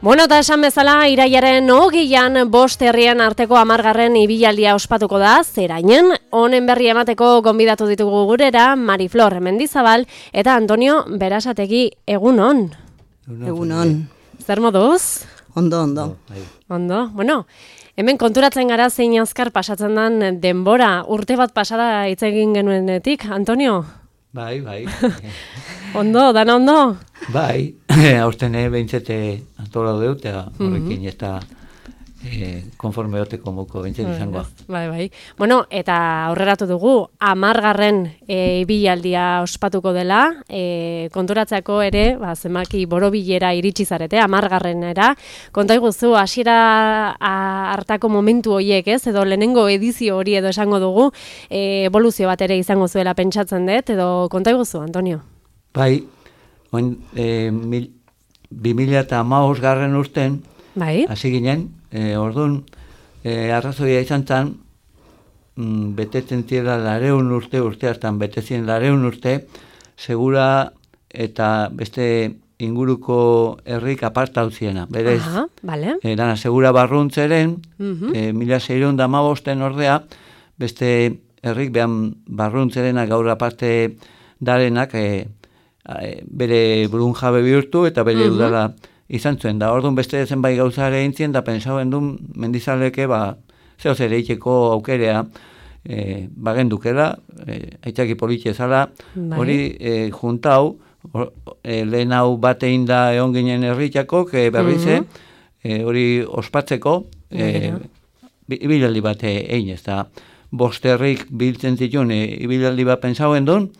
Bueno, eta esan bezala, iraiaren 20an 5 herrien arteko 10. ibilaldia ospatuko da, zerainen, honen berri emateko gonbidatu ditugu gurera, Mariflor Mendizabal eta Antonio Berasategi, egunon. Egunon. Zer moduz? Ondo. Ondo, bueno, hemen konturatzen gara zein azkar pasatzen den denbora, urte bat pasada hitz egin genuenetik, Antonio? Bai. Ondo, dana ondo? Bai, aurten behintzete antola dut, eta horrekin ez da konforme oteko moko behintzete izango. Bai. Bueno, eta aurreratu dugu, 10. ibilaldia ospatuko dela, konturatzeako ere, zenbaki borobilera iritsi zarete, 10. Konta iguzu, hasiera hartako momentu horiek, ez? Edo lehenengo edizio hori edo esango dugu, evoluzio bat ere izango zuela pentsatzen dut, edo konta iguzu, Antonio? Bai, 2015 urten, bai, hasi ginen, orduan, arrazoia izan zen, betetzen ziela 200 urte hartan betezien 200 urte, segura eta beste inguruko herrik aparta utziena. Berez, dana segura barruntzeren, 1615 ordea, beste herrik behan barruntzerena gaur aparte darenak, bere burun jabe bihurtu eta bere udala izan zuen. Da, orduan beste zenbait gauza ere intzien, da pensauen duen Mendizaleke, zeo zer eiteko aukerea bagendukela, aitzaki politxe zala, hori juntau, lehen hau batein da egon ginen herritxakok, berrize, hori ospatzeko, ibilaldi bat egin ez da. 5 herrik biltzen zituen ibilaldi bat pensauen duen,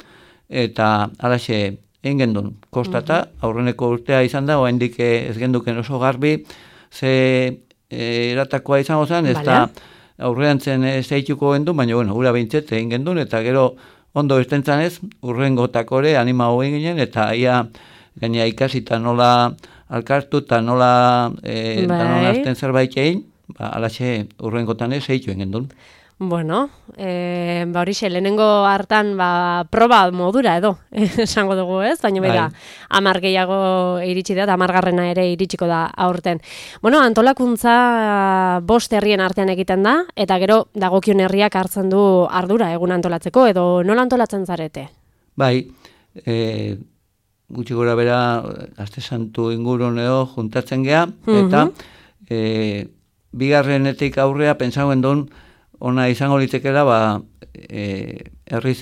eta alaxe egin gendun, kostata, aurreneko urtea izan da, oraindik ez genduken oso garbi, ze eratakoa izango zen, ez da aurrean zen zeituko gendun, baina bueno, ura behintzet egin gendun, eta gero ondo estentzan ez, urrengotakore anima hogin ginen, eta ia gaina ikasita nola alkartu, eta nola azten zerbait egin, alaxe urrengotan ez zeitu egin gendun. Bueno, horixe, lehenengo hartan proba modura edo, esango dugu ez, baina bera, 10 gehiago iritsi da, 10. ere iritsiko da aurten. Bueno, antolakuntza 5 herrien artean egiten da, eta gero dagokion herriak hartzen du ardura egun antolatzeko, edo nola antolatzen zarete? Bai, gutxi gora bera, Aste Santu ingurun edo juntatzen gea, eta bigarrenetik aurrea pentsauen duen, ona izango litekela, herri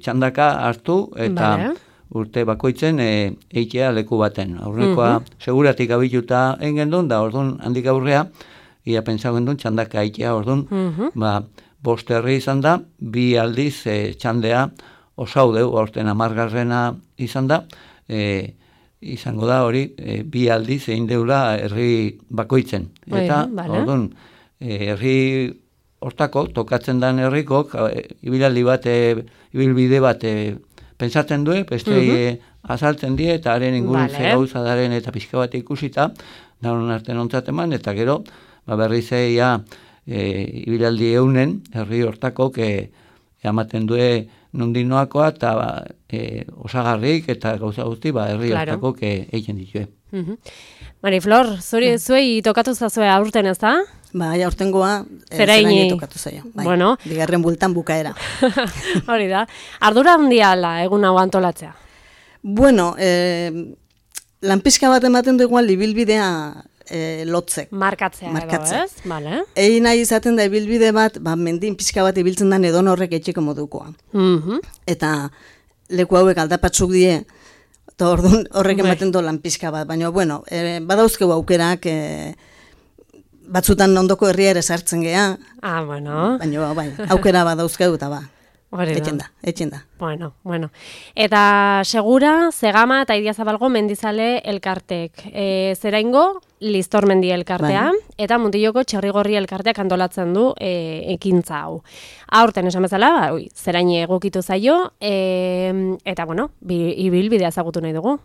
txandaka hartu eta urte bakoitzen eitea leku baten. Aurrekoa seguratik abituta engen duen, da orduan handik aurrea, ia pentsauen duen txandaka eitea, orduan 5 herri izan da, 2 aldiz txandea osaudeu, aurten 10. izan da, izango da hori 2 aldiz egin deula herri bakoitzen. Eta orduan herri hortako, tokatzen den herrikok, ibilbide bat pentsatzen du, beste azaltzen die, eta haren ingurun ze gauza daren eta pixka bat ikusita, daun artean ontzat eman, eta gero, berriz ibilaldi eunen, herri hortakok ematen du nondinoakoa, eta osagarrik eta gauza guzti, herri hortakok egiten ditue. Mariflor, zuei tokatu zazue aurten ez da? Bai, aurtengoa zeraini tokatu zaio. Bueno. Bigarren bultan bukaera. Hori da. Ardura handia ala egun hau antolatzea? Bueno, lanpizka bat ematen du igual ibilbidea lotzek. Markatzea edo, ez? Vale. Egin nahi izaten da ibilbide bat, mendin pizka bat ibiltzen den edon horrek etxeko modukoa. Eta leku hauek aldapatzuk die, eta orduan horrek ematen du lanpizka bat. Baina, bueno, badauzkegu aukerak, batzutan ondoko herria ere sartzen gea. Bueno. Baina, aukera badauzkegu eta etxen da. Bueno. Eta segura, Zegama eta Idiazabalgo Mendizale elkartek. Zeraingo, Listormendi elkartea, eta Muntilloko Txerrigorri elkarteak antolatzen du ekintza hau. Aurten esan bezala, zeraini egokitu zaio, eta bueno, ibilbidea ezagutu nahi dugu.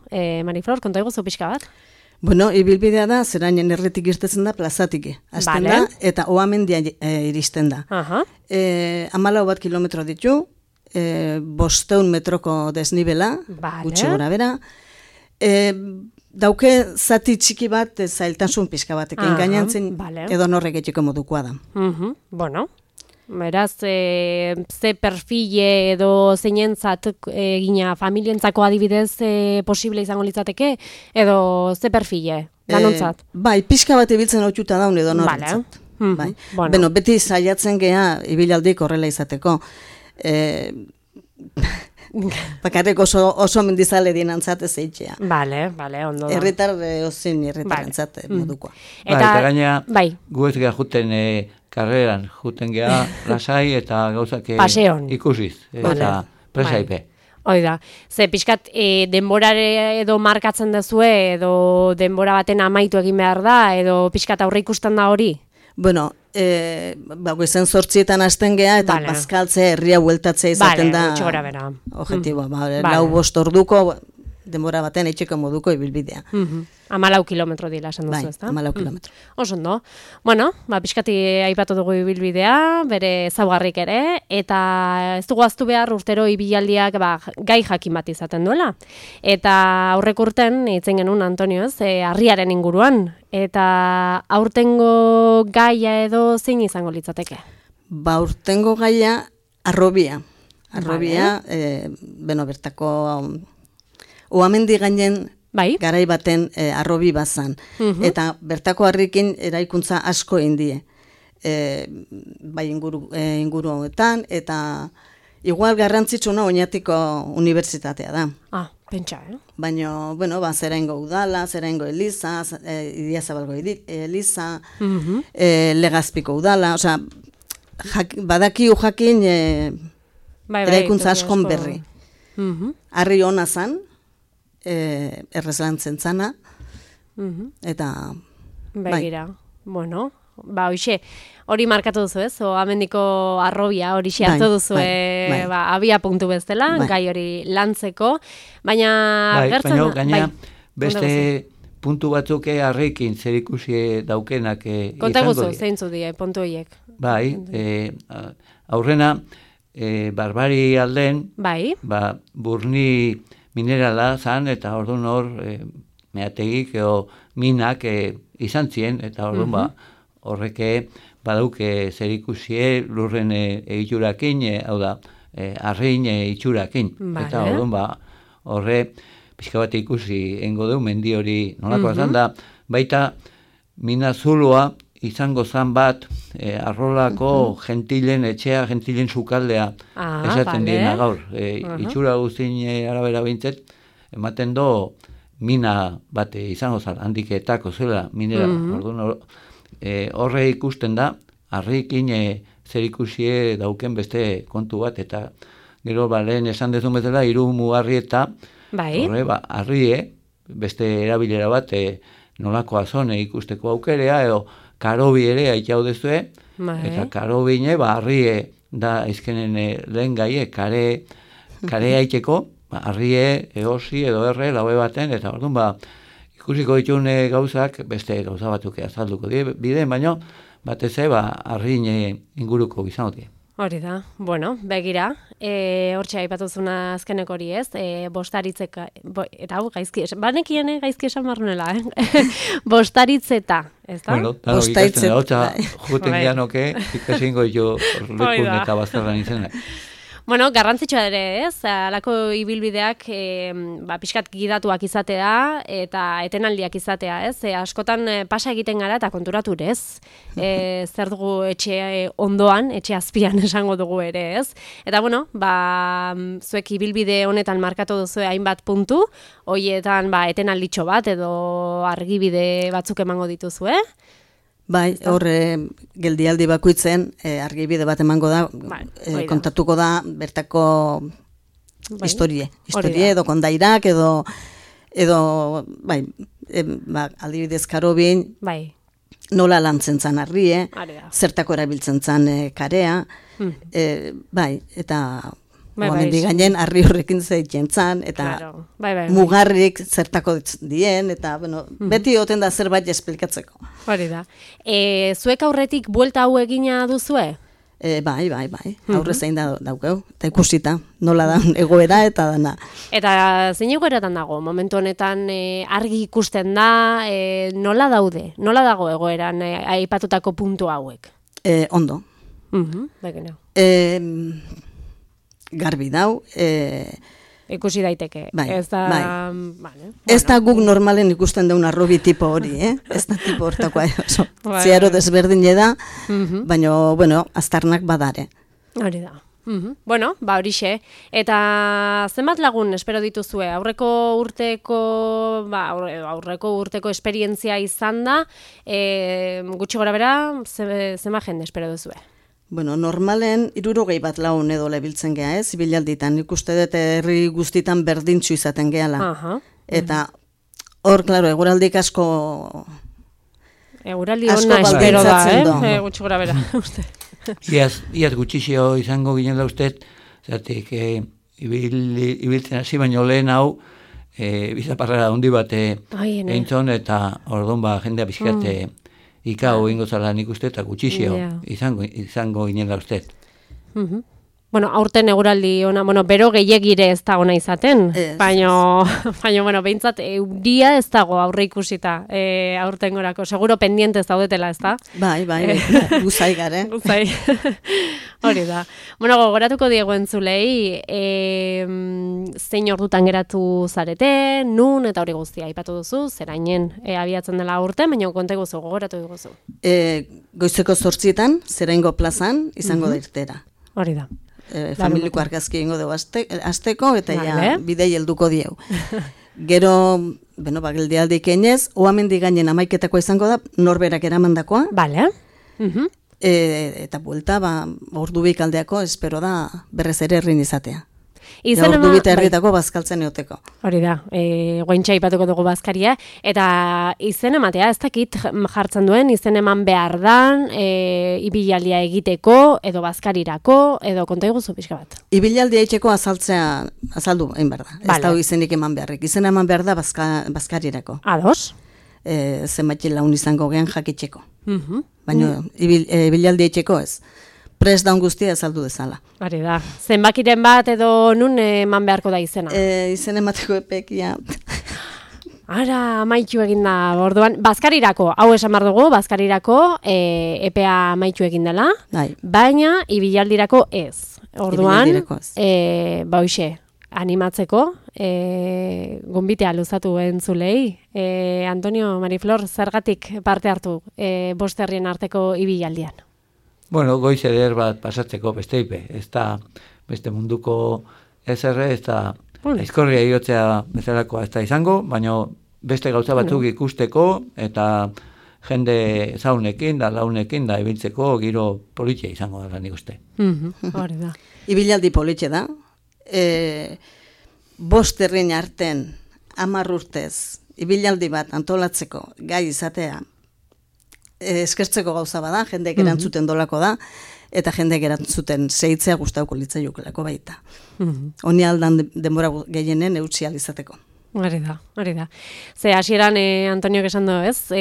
Mariflor, konta iguzu pixka bat? Bueno, ibilbidea da, zerainen erretik irtetzen da plazatik. Azten da, eta Oamendia iristen da. 14 kilometro ditu, 500 metroko desnibela, gutxi gora bera. dauke zati txiki bat zailtasun pixka batekin gainantzen edo norrek etxeko modukoa da. Bueno, beraz, ze perfile edo zeinentzat egina familientzako adibidez posible izango litzateke, edo ze perfile, danontzat? Bai, pixka bat ibiltzen hotxuta daun edo norrentzat. Bai. Bueno, beti saiatzen gea ibilaldik horrela izateko. Bakarrik oso mendizale dinantzat ez eitxea. Bale, ondo da. Herritar ozin herritarentzat modukoa. Eta gaina, gu ez geha juten karreran, juten geha lasai eta gauzak ikusiz. Eta presaipe. Hoi da, ze pixkat denborare edo markatzen dezue, edo denbora baten amaitu egin behar da, edo pixkat aurre ikusten da hori? Bueno, goizen 8etan hasten gea, eta bazkaltze herria bueltatzea izaten da objetiboa. 4-5 orduko denbora baten etxeko moduko ibilbidea. 14 kilometro dira, esan duzu, ezta? 14 kilometro. Oso ondo. Bueno, pixkati aipatu dugu ibilbidea, bere ezaugarrik ere, eta ez dugu ahaztu behar urtero ibilaldiak gai jakin bat izaten duela. Eta aurrek urten, hitzen genuen Antonio, harriaren inguruan, eta aurtengo gaia edo zein izango litzateke? Aurtengo gaia arrobia. Arrobia, bertako oamendi gainen garai baten arrobi bazan. Eta bertako harrikin eraikuntza asko indie. Bai inguru honetan, eta igual garrantzitsuna Oñatiko unibertsitatea da. Pentsa, Baina, zeraingo udala, zeraingo eliza, Idiazabalgo eliza, Legazpiko udala, osea, badaki jakin eraikuntza askon berri. Harri hona zan, errezlantzen zana, eta... Begira, bueno, hoxe, hori markatu duzu ez, amendiko arrobia hori hartu duzu, abia punktu bezala, gai hori lantzeko, baina... Baina, beste puntu batzuk harrikin zerikusi daukenak izango dira. Konta guzu, zeintzu dira, puntu horiek. Bai, aurrena, Barbari alden, burni minerala zan, eta orduan hor meategik edo minak izan ziren, eta orduan horreke badauke zerikusie lurren egiturakin, hau da, arrein itxurakin. Eta orduan horre pixka bat ikusi engo du mendi hori nolakoa zan da, baita mina zuloa izango zan bat arrolako gentilen etxea, gentilen sukaldea esaten diena gaur. Itxura guztien arabera bintzet, ematen do mina bat izango zan, handiketako zela minera. Horre ikusten da, harrikin zerikusie dauken beste kontu bat, eta gero lehen esan dezun bezala, 3 mugarri eta horre, harrie, beste erabilera bat nolako azone ikusteko aukerea, edo karobi ere aitzau dezue, eta karobine, harrie da izkenen lehen gaie, kare aitzeko, harrie, eosi edo erre, laue baten, eta orduan, ikusiko ditune gauzak, beste gauza batzuk azalduko bide, baina batez harrin inguruko izango die. Hori da, bueno, begira, hortxe aipatuzuna azkenek hori ez, bostaritzeka, eta hau gaizki, banekien gaizki esan marrunela, bostaritzeta, ez da? Bueno, ikasten da, hotza, juten gianoke, ikasingo jo lekun eta bazterran izenak. Bueno, garrantzitsua ere ez, alako ibilbideak pixkat gidatuak izatea eta etenaldiak izatea ez, askotan pasa egiten gara eta konturatu ez, zer dugu etxe ondoan, etxe azpian esango dugu ere ez, eta bueno, zuek ibilbide honetan markatu duzu hainbat puntu, horietan etenalditxo bat edo argibide batzuk emango dituzu, Bai, horre geldialdi bakoitzen argibide bat emango da, kontatuko da bertako historie edo kondairak edo aldibidez karobin, nola lantzen zan harrie, zertako erabiltzen zan karea, eta momendik gainen harri horrekin zeitzen zan, eta mugarrik zertako dien, eta beti oten da zerbait esplikatzeko. Hori da. Zuek aurretik buelta hau egina duzue? Bai, aurre zein daukeu, eta ikusita, nola da egoera eta dana. Eta zein egoeratan dago, momentu honetan argi ikusten da, nola dago egoeran aipatutako puntu hauek? Ondo. Begina. Garbi dau, ikusi daiteke. Bai, ez da, bai. Vale, ez da guk normalen ikusten dauna arrobi tipo hori, ez da tipo hortakoa, ziaro desberdin da, baina, bueno, aztarnak badare. Hori da. Bueno, horixe. Eta zenbat lagun espero dituzue? Aurreko urteko esperientzia izan da, gutxi gora bera, zenbat jende espero duzue? Bueno, normalen 60 bat lagun edo lebiltzen gea, ibilalditan. Nik uste dut herri guztitan berdintxu izaten gehala. Eta hor, klaro, eguraldik asko... Eguraldi hona espero da, gutxi gora bera, uste. Iaz gutxixio izango ginen da uste, zertik, ibiltzen hasi, baino lehen hau, bizaparrara handi bat eintzon, eta orduan jendea bizkate... Ikau ingo zala nik uste eta gutxixio izango ginen da uste. Bueno, aurten eguraldi ona, bero gehiagire ez dago nahi izaten, baina, behintzat, euria ez dago aurre ikusita aurten gorako. Seguro pendiente ez daudetela, ez da? Bai, guzai gare. Guzai, hori da. Bueno, gogoratuko diegu entzulei, zein ordutan geratu zarete, nun eta hori guztia aipatu duzu, zerainen abiatzen dela aurten, baina konte guzu, gogoratu diguzu. Goizeko 8etan, Zeraingo plazan, izango da irtera. Hori da. Familiko argazki ingo dugu azteko, eta bidei helduko dieu. Gero, geldialdik einez, oamendi gainen amaiketako izango da, norberak eramandakoa. Bale. Eta buelta, ordubik aldeako, espero da, berrez ere herrin izatea. Ordubita herritako bazkaltzen eoteko. Hori da, guaintxa ipatuko dugu bazkaria, eta izen ematea, ez dakit jartzen duen, izen eman behar dan, ibilaldia egiteko, edo bazkarirako, edo konta iguzu pixka bat. Ibilaldia egiteko azaldu egin behar da, ez da izenik eman beharrik. Izen eman behar da bazkarirako. Ados? Zenbait laun izango gehan jakitxeko. Baina ibilaldia egiteko ez. Prest daun guztia azaldu dezala. Hori da. Zenbakiren bat edo nun eman beharko da izena? Izen emateko epekia. Ara, amaitu egin da, orduan, bazkarirako, hau esan behar dugu, bazkarirako epea amaitu egin dela, baina ibilaldirako ez. Orduan, hoxe, animatzeko, gonbitea luzatu entzulei. Antonio, Mariflor, zergatik parte hartu bosterrien arteko ibilaldian? Bueno, goiz eder bat pasatzeko besteipe, ez da beste munduko ezerre, ez da aizkorria iotzea bezalakoa ez da izango, baina beste gauza batzuk ikusteko eta jende zaunekin da launekin da ibiltzeko giro politia izango da nik uste. Hori da. Ibilaldi politxe da. 5 herrien arten 10 urtez ibilaldi bat antolatzeko gai izatea eskertzeko gauza bada, jendeek erantzuten dolako da, eta jendeek erantzuten zeitzea gustauko litzaiokelako baita. Honi aldan denbora gehienen eutsi alizateko. Hori da. Ze hasieran Antoniok esan du, ez?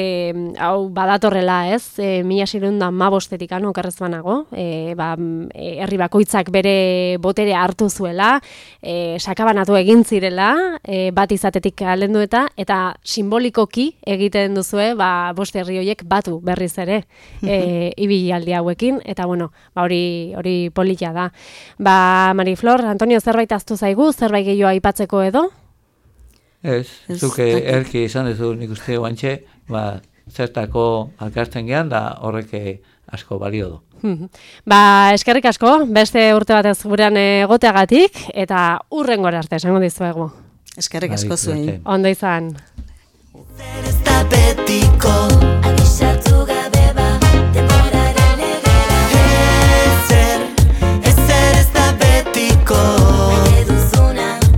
Hau badatorrela, ez? 1615 okerrez banago, herri bakoitzak bere botere hartu zuela, sakabanatu egin zirela, bat izatetik alendu eta simbolikoki egiten duzue, 5 herri horiek batu berriz ere ibilaldi hauekin, eta bueno, hori polita da. Mariflor, Antonio, zerbait ahaztu zaigu, zerbait gehiago aipatzeko edo? Ez, zuke erki izan duzu nik uste guantxe, zertako alkartzen gehan, da horrek asko balio du. Eskerrik asko, beste urte batez gurean egoteagatik, eta hurrengora arte, esango dizuegu. Eskerrik asko zuen. Ondo izan. Zer ez da betiko, abisatu